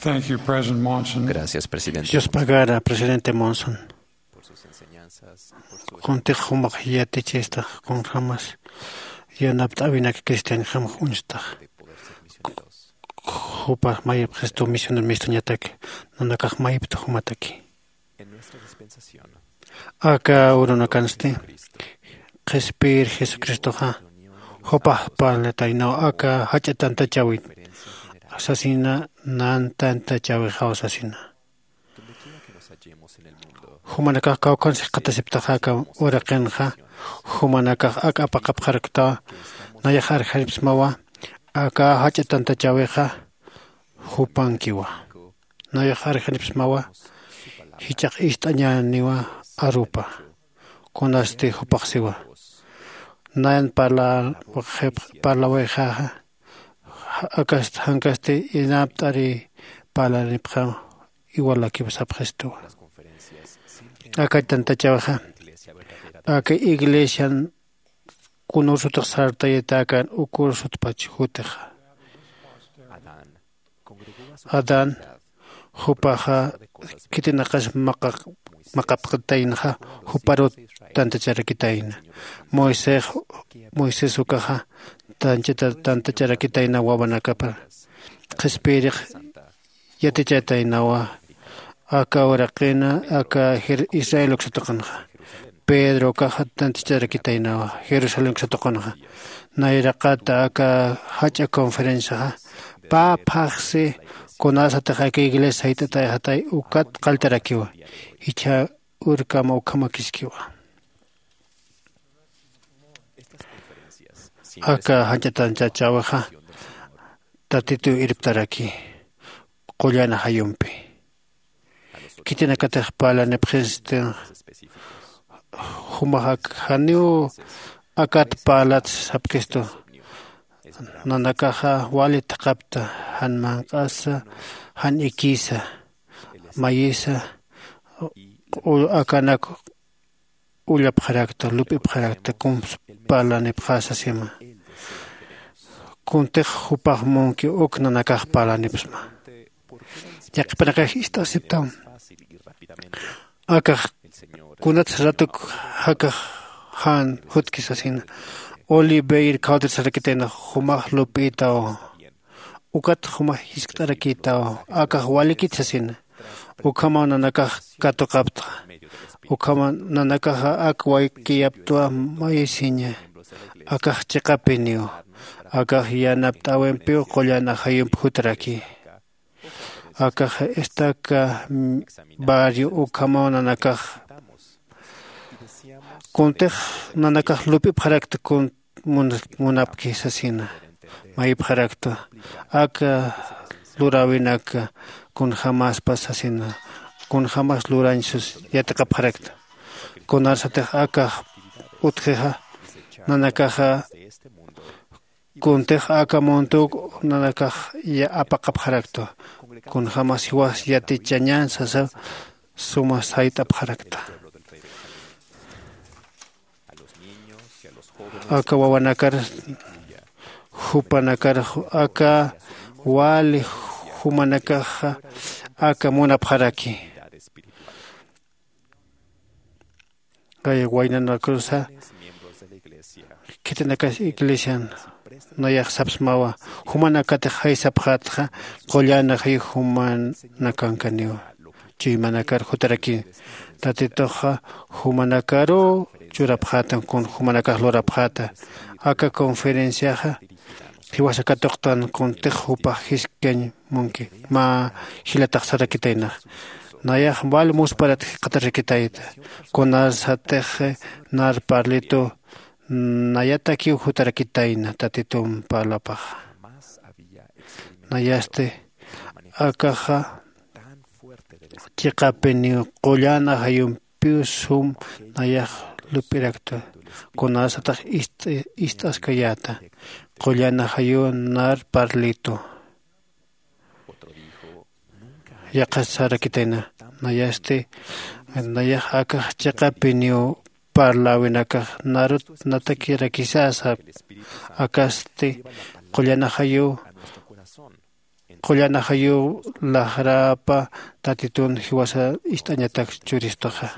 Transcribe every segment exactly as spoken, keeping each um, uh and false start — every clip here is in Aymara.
Thank you, President Monson. Gracias, presidente. Dios pagara, presidente Monson. Kuntix jumax yatichistax kunjämas yanapt'äwinak cristianjamax uñstax. Jupax mayipxistu misioner mistuñatak, nanakax mayipta jumataki. Aka urunakansti qhispiyir jesucristoxa jupax parlataynaw aka jach'a tantachäwit sasina, nan tantachäwixaw sasina. Jumanakax kawkhansa jikxatasiptaxa aka uraqinxa, jumanakax ak apaqapxaraktawa nayax arjanipsmawa. Aka jach'a tantachäwixa jupankiwa. Nayax arjanipsmawa, jichhax ist'añäniwa arupa. Kunasti jupax siwa, nayan parlawixaxa akast jankasti inapt'ari parlanipxaw. Iwalakiw sapxistuwa. Aka tantachäwixa aka iglesian kunursutix sartayatakan ukursutpach jutixa. Adán jupaxa khitinaqas maqapxataynaxa juparut tantacharakitayna. Moisés moisés ukaxa tantacharakitayna wawanakapar qhispiyirix yatichataynawa. Aka uraqina aka israel uksatuqanxa pedro ukaxa tantacharakitaynawa jerusalén uksatuqanxa. Nayraqata aka jach'a conferenciaxa pä phaxsi kunasatix aka iglesia sayt'atayxatay ukat qalltarakiwa. Jichha urkama ukhamakiskiwa. Aka jach'a tantachäwixa tatituw irptaraki qullan ajayumpi. Khitinakatix parlanipxistin jumax ak janiw akat parlat sapkistu. Nanakaxa wali thaqapta jan manq'asa jan ikisa mayisa akanak ullapxarakta lup'ipxarakta kumps parlanipxasa sima. Kuntix jupax munki uk nanakax parlanipsma. Yaqhipanakax ist'asiptam akax kunats ratuk jakax jan jutkisasina. Oliveir khawtir sarakitayna jumax lup'itaw ukat jumax jiskt'arakitaw akax walikit sasina. Ukhamaw nanakax katuqaptxa ukhamaw nanakaxa ak waykiyaptwa mayisiña. Akax chiqapiniw akax yanapt'äwimpiw qullan ajayump jutraki. Akax estaca barrio ukhamaw nanakax kuntix nanakax lup'ipxarakta kun munapki sasina. Mayipxarakta aka luräwinak kunjämaspas sasina kunjämas lurañ sus yatiqapxarakta. Kunarsatix akax utjixa nanakaxa kuntix aka muntuw nanakax apaqapxarakta kunjämas jiwas yatichañän sasa suma sayt'apxarakta. Aka wawanakar jupanakar aka wali jumanakaxa aka munapxaraki. Waynanakarsa khitinakas iglesian nayax sapsmawa jumanakatix jaysapxätxa qullan ajayu jumanakankaniwa. Chuymanakar jutarakin tatituxa jumanakaruw churapxäta kun jumanakax lurapxäta. Aka conferenciaxa jiwasa katuqtan kuntix jupax jiskkañ munki mä jilatax sarakitaynax. Nayax wal musparat jikxatarakitayta kunarsatix nar parlitu nayatakiw jutarakitayna tatitump parlapaxa. Nayasti akaxa chiqapiniw qullan ajayumpiw sum nayax lup'irakta kunasatix ist'askayäta qullan ajayuw nar parlitu. Yaqhas sarakitayna nayasti nayax akax chiqapiniw parläwinakax narut natakirakisasa akasti qullan ajayuw qullan ajayuw laxrapa tatitun jiwasa ist'añatak churistuxa.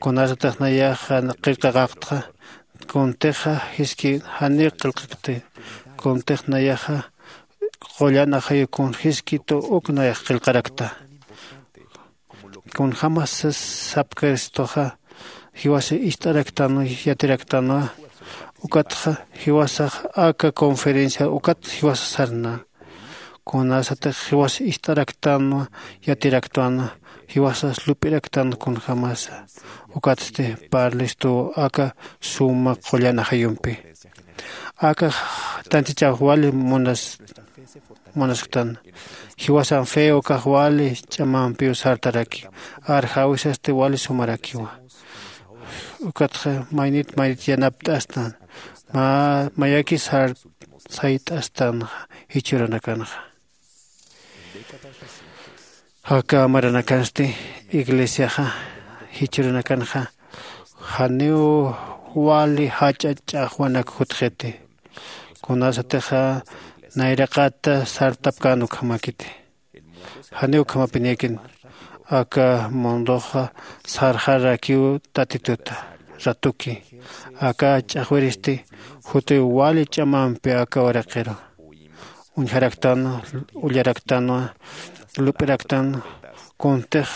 Kunasatix nayaxa qillqaqaqtxa kuntixa jiski janiw qillqakti. Kuntix nayaxa qullan ajayuw kun jiski tu uk nayax qillqarakta. Kunjämas sapkiristuxa jiwasa ist'araktanwa yatiraktanwa. Ukatxa jiwasax aka conferencia ukat jiwasa sarna. Kunasatix jiwasa ist'araktanwa yatiraktwanwa jiwasas lup'iraktanwa kunjämasa. Ukatsti parlistuw aka suma qullan ajayumpi. Akax tantichaw wali munas munasktan. Jiwasan fe ukax wali ch'amampiw sartaraki. Arjawisasti wali sumarakiwa. Ukatxa maynit maynit yanapt'astan. Mä mayaki sar sayt'astanxa jichhürunakanxa. Aka maranakansti iglesiaxa jichhürunakanxa janiw wali jach'a ch'axwanak jutxiti. Kunasatixa nayraqata sartapkän ukhamakiti. Janiw ukhamapinikin. Aka munduxa sarxarakiw tatituta ratuki. Aka ch'axwiristi jutiw wali ch'amampi aka uraqiru uñjaraktanwa, ullaraktanwa, lup'iraktanwa. Kuntix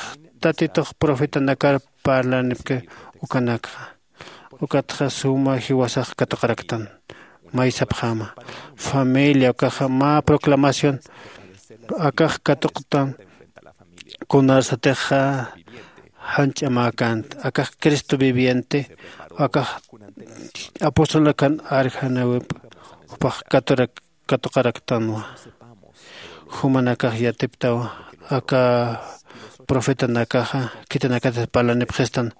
tatitux profetanakar parlanipki ukanakxa. Ukatxa suma jiwasax katuqaraktan. Maysapxäma familia ukaxa mä proclamación akax katuqtan. Kunasatixa jan ch'amäkänti akax cristo viviente. Akax apostol akan arjanäwip jupax katurak katuqaraktanwa. Jumanakax yatiptaw aka profetanakaxa khitinakatix parlanipxistan.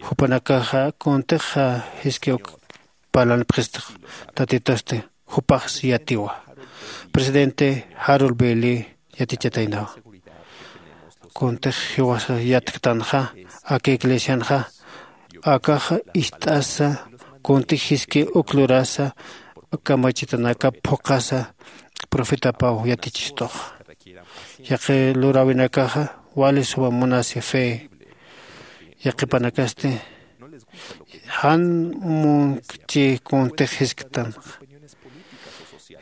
Jupanakaxa kuntixa jiskiw parlanipxistix. Tatitusti jupaxsi yatiwa. Presidente jarol beli yatichataynawa. Kuntix jiwasa yatktanxa aka iglesianxa akaxa ist'asa kuntix jiski uk lurasa kamachitanakap phuqhasa profetapaw yatichistuxa. Yaqi luräwinakaxa wali suma munasi fe. Yaqipanakasti jan munkchi kuntix jisktanxa.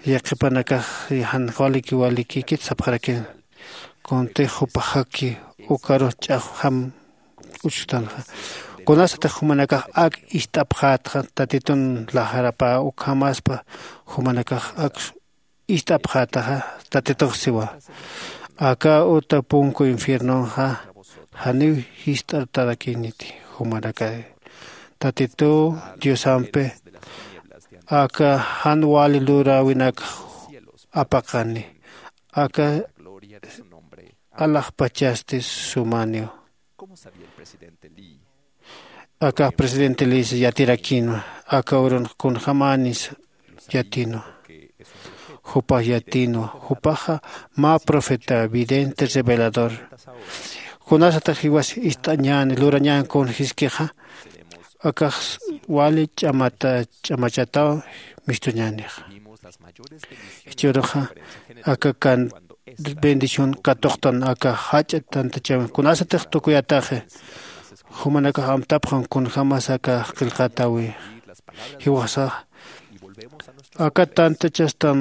Yaqipanakax jan waliki walikikit sapxarakin. Kuntix jupaxaki ukarux ch'axwjam uchustanxa. Kunasatix jumanakax ak ist'apxätxa tatitun laxarapä ukhamaspa jumanakax ak ist'apxätaxa. Tatitux siwa aka uta punku infiernonxa janiw jist'artarakiniti. Jumanakay tatituw diosampi aka jan wali luräwinakx apaqani. Aka alaxpachasti sumaniw. Akax presidente lis yatirakinwa. Aka urunx kunjämänis yatinwa. Jupax yatinwa. Jupaxa mä profeta vidente revelador. Kunasatax jiwas ist'añäni lurañän kun jiskixa akax wali ch'amata ch'amachataw mistuñänixa. Jichhüruxa aka kan bendición katuqtan aka jach'a tantachäwin kunasatix tukuyataxi. Jumanakax amtapxam kunjämas aka qillqatäwi. Jiwasax aka tantachastan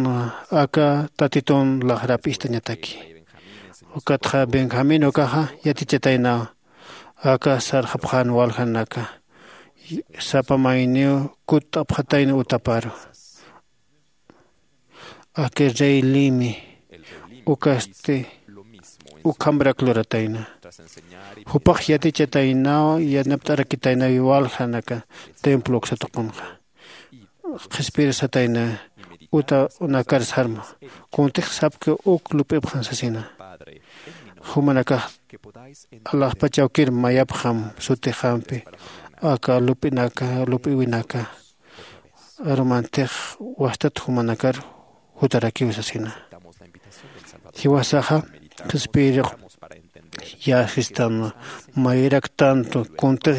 aka tatitun laxrap ist'añataki. Ukatxa benjamín ukaxa yatichataynaw aka sarxapxän waljanaka sapa mayniw kutt'apxatayna utaparu. Aka rey limi ukasti ukhamrak luratayna. Jupax yatichataynaw yanapt'arakitaynaw waljanaka templo uksa tuqunxa. Qhispir satayna uta unakar sarma kuntix sapki uk lup'ipxan sasina. Jumanakax alaxpachawkir mayapxam sutixampi aka lup'inaka lup'iwinaka arumantix wastat jumanakar jutarakiw sasina. Jiwasaxa qhispiyirux yäsistanwa mayraktantu kuntix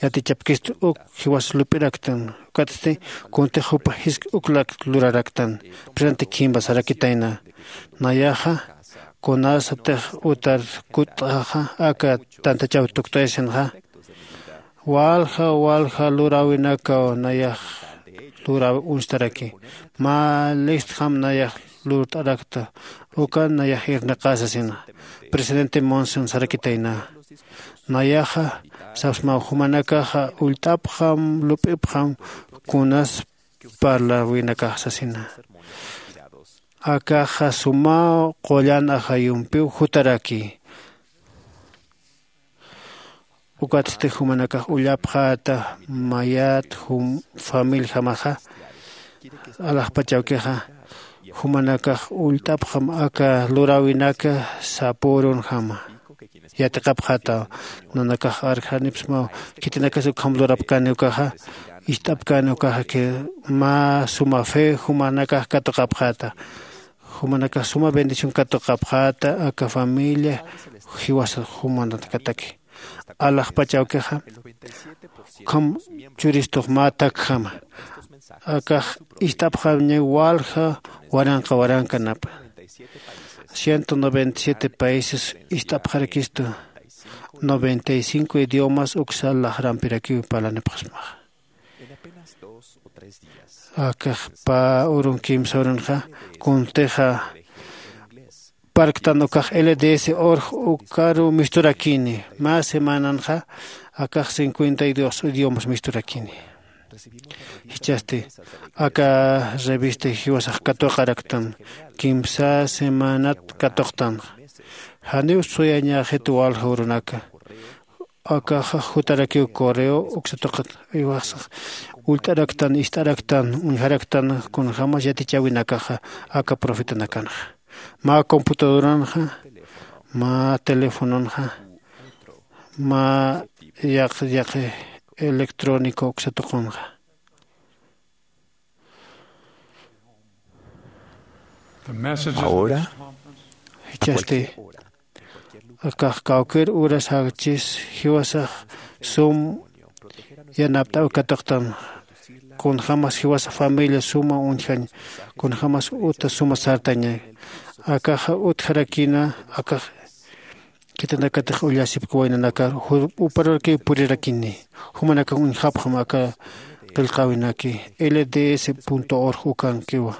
yatichapkistu uk jiwas lup'iraktan. Ukatsti kuntix jupa jisk uklak luraraktan. Presente khimba sarakitayna. Nayaxa kunasatix utar kutt'axa aka tantachaw tuktayasinxa, walja walja luräwinakaw nayax luräwi uñstaraki. Mä listjam nayax lurt'arakta. Ukan nayax irnaqä sasina. Presidente Monson sarakitayna. Nayaxa sapsmaw jumanakaxa ullt'apxam lup'ipxam kunas parläwinakax sasina. Akaxa sumaw qullan ajayumpiw jutaraki. Ukatsti jumanakax ullapxäta mayat jum familjamaxa alaxpachawkixa jumanakax ullt'apxam aka luräwinaka sapürunjama. Yatiqapxätaw nanakax arjanipsmaw khitinakas ukham lurapkani ukaxa ist'apkani ukaxa mä suma fe jumanakax katuqapxäta. Jumanakax suma bendición katuqapxäta aka familia jiwasa jumanakataki alaxpach awkixa ukham churistux mä takjama. Akax ist'apxaña walja waranqa warankanapa. Ciento noventa y siete países ist'apxarakistu. Noventa y cinco idiomas uksa laxrampirakiw parlanipxasmaxa. Akax pä urun kimsa urunxa kuntixa parktan ukax lds org ukaru misturakini. Mä semananxa akax cincuenta y dos idiomas misturakini. Jichhasti aka revista jiwasax katuqaraktan kimsa semanat katuqtanxa. Janiw suyañäxit walja urunaka. Akaxa jutarakiw correo uksatuqat iwasax ullt'araktan ist'araktan uñjaraktan kunjämas yatichäwinakaxa aka profetanakanxa mä computadoranxa mä telefononxa mä yaq yaqi electrónico uksatuqunxa. Ahora jichhasti akax kawkir uras jakchis jiwasax sum yanapt'aw katuqtan. Kunjämas jiwasa familia suma uñjañ kunjämas uta suma sartaña. Akaxa utjarakina akax khitinakatix ullasipki waynanakar uparurakiw purirakini. Jumanakax uñjapxam aka qillqäwinaki lds org ukankiwa.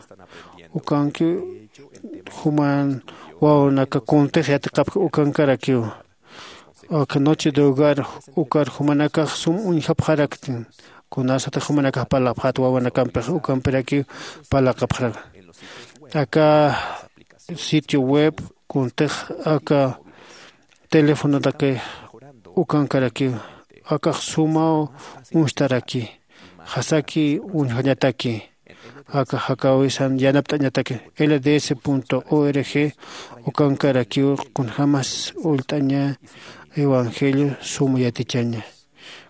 Ukankiw juman wawanaka kuntix yatiqapki ukankarakiw. Aka noche de hogar ukar jumanakax sum uñjapxaraktin kunasatix jumanakax parlapxät wawanakampix ukampirakiw parlaqapxarak. Aka sitio web kuntix aka telefonotaki ukankarakiw. Akax sumaw uñstaraki jasaki uñjañataki aka jakäwisan yanapt'añataki lds org ukankarakiw kunjämas ullt'aña evangelio suma yatichaña.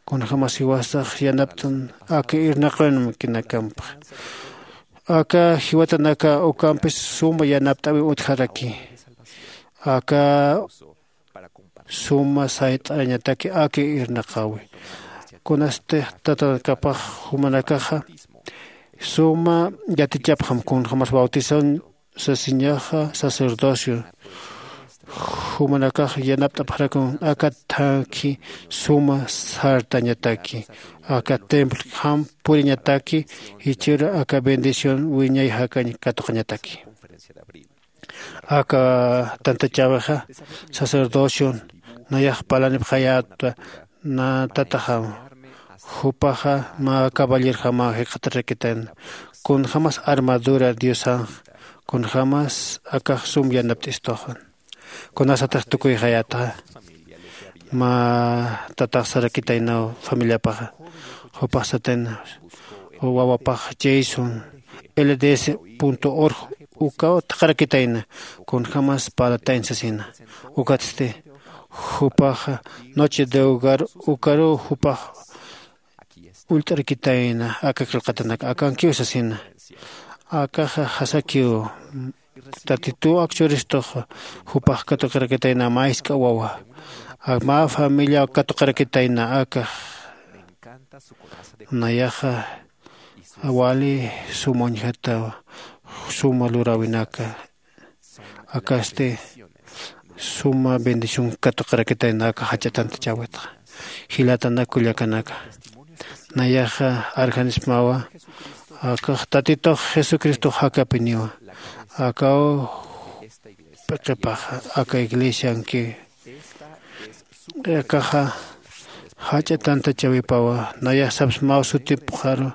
Kunjämas jiwasax yanapt'an aka irnaqawinkinakampa aka jiwatanaka ukampis suma yanapt'äwi utjaraki. Aka suma sayt'arañataki aka irnaqäwi. Kunasti tatanakapax jumanakaxa suma yatichapxam kunjämas bautizañ sasiñaxa sacerdocio jumanakax yanapt'apxarakun aka thakhi suma sartañataki aka templojam puriñataki jichhüru aka bendición wiñay jakañ katuqañataki. Aka tantachäwixa sacerdocion nayax parlanipxayäta. Nä tataxam jupaxa mä caballerjamaw jikxatarakitayna kunjämas armadura diosanx kunjämas akax sum yanapt'istuxan. Kunasatix tukuyxayätxa mä tatax sarakitaynaw familiapaxa jupax satayna wawapax jason lds org ukaw thaqharakitayna kunjämas parlatañ sasina. Ukatsti jupaxa noche de hogar ukaruw jupax ullt'arakitayna aka qillqatanak akankiw sasina. Akaxa jasakiw tatituw akchuristux jupax katuqarakitayna mä jisk'a wawa mä familiaw katuqarakitayna akax nayaxa Wali suma uñjatawa suma luräwinaka. Akasti suma bendición katuqarakitayna aka jach'atantachäwitxa. Jilatanak kullakanaka, nayaxa arjanismawa akax tatitux jesucristox jakapiniwa. Akaw p'iqipaxa aka iglesianki akaxa jach'a tantachäwipawa. Nayax sapsmaw sutipxaru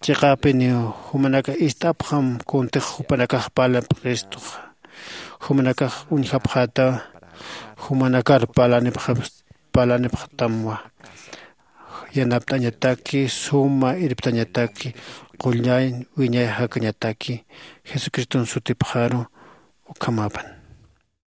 chiqäpiniw. Jumanakax ist'apxam kuntix jupanakax parlan p'iqistuxa. Jumanakax uñjapxätawa. Jumanakar parlanipxapxtamwa. Yanapt'añataki suma irptañataki qullañ wiñay jakañataki jesucriston sutipxaru. Ukhamapan.